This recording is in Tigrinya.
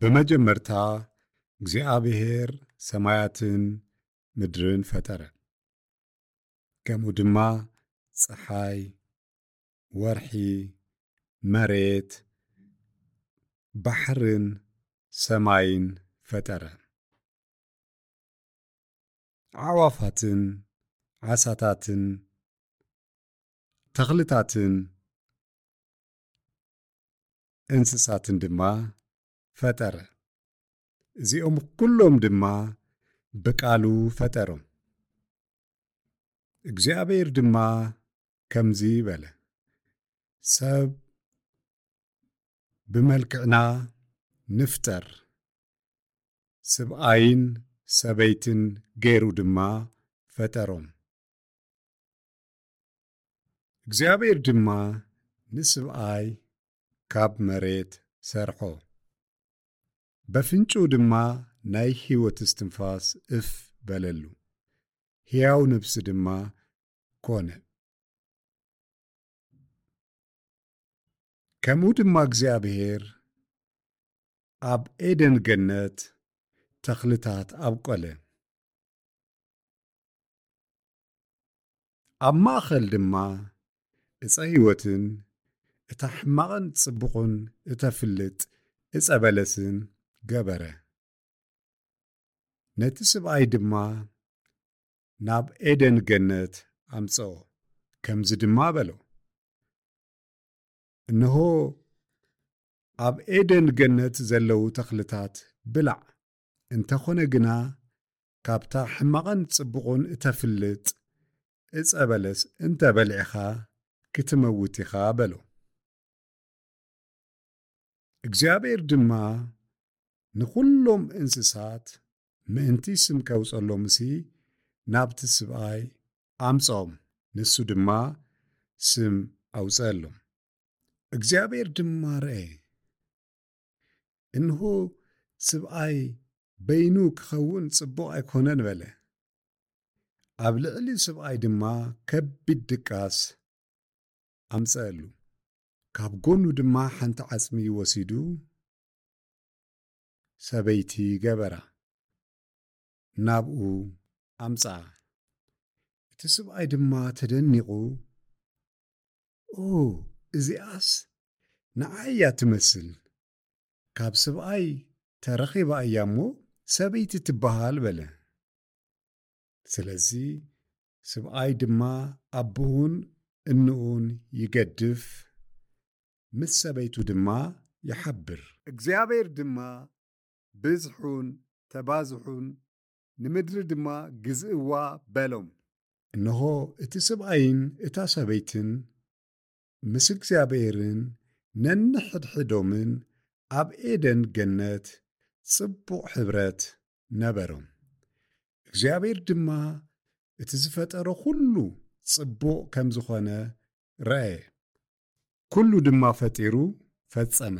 ብመጀመርታ እግዚኣብሔር ሰማያትን ምድርን ፈጠረ። ከምኡ ድማ ጸሓይ፣ ወርሒ፣ መሬት፣ ባሕርን ሰማይን ፈጠረ። ኣዕዋፋትን ዓሳታትን ተኽልታትን እንስሳትን ድማ ፈጠረ። እዚኦም ኩሎም ድማ ብቃሉ ፈጠሮም። እግዚኣብሔር ድማ ከምዚ በለ፣ "ሰብ ብመልክዕና ንፍጠር፣ ስብኣይን ሰበይትን ገይሩ ድማ ፈጠሮም። እግዚኣብሔር ድማ ንስብኣይ ካብ መሬት ሰርሖ፣ በፍንጩ ድማ ናይ ህይወት እስትንፋስ እፍ በለሉ፣ ሕያው ነፍሲ ድማ ኮነ። ከምኡ ድማ እግዚኣብሔር ኣብ ኤደን ገነት ተኽልታት ኣብቆለ። ኣብ ማእኸል ድማ እፀ ህይወትን እታ ሕማቕን ጽቡቕን እተፍልጥ እፀ በለስን ገበረ። ነቲ ስብኣይ ድማ ናብ ኤደን ገነት ኣምጽኦ፣ ከምዚ ድማ በሎ፣ "እንሆ ኣብ ኤደን ገነት ዘለዉ ተኽልታት ብላዕ፣ እንተኾነ ግና ካብታ ሕማቕን ጽቡቕን እተፍልጥ እጸ በለስ እንተ በሊዕኻ ክትመውት ኢኻ" በሎ። እግዚኣብሔር ድማ ንኹሎም እንስሳት ምእንቲ ስም ከውጸሎምሲ ናብቲ ስብኣይ ኣምጽኦም፣ ንሱ ድማ ስም ኣውጸኣሎም። እግዚኣብሔር ድማ ረኤ፣ እንሆ ስብኣይ በይኑ ክኸውን ጽቡቕ ኣይኮነን በለ። ኣብ ልዕሊ ስብኣይ ድማ ከቢድ ድቃስ ኣምጸአሉ። ካብ ጎኑ ድማ ሓንቲ ዓጽሚ ወሲዱ ሰበይቲ ገበራ፣ ናብኡ ኣምጽኣ። እቲ ስብኣይ ድማ ተደኒቑ፣ "ኦ፣ እዚኣስ ንዓይ እያ ትመስል። ካብ ስብኣይ ተረኺባ እያ እሞ ሰበይቲ ትበሃል" በለ። ስለዚ ስብኣይ ድማ ኣቦኡን እንኡን ይገድፍ፣ ምስ ሰበይቱ ድማ ይሓብር። እግዚኣብሔር ድማ፣ "ብዝሑን ተባዝሑን፣ ንምድሪ ድማ ግዝእዋ" በሎም። እንሆ እቲ ስብኣይን እታ ሰበይትን ምስ እግዚኣብሔርን ነንሕድሕዶምን ኣብ ኤደን ገነት ጽቡቕ ሕብረት ነበሮም። እግዚኣብሔር ድማ እቲ ዝፈጠሮ ኩሉ ጽቡቕ ከም ዝኾነ ረኣየ። ኩሉ ድማ ፈጢሩ ፈጸመ።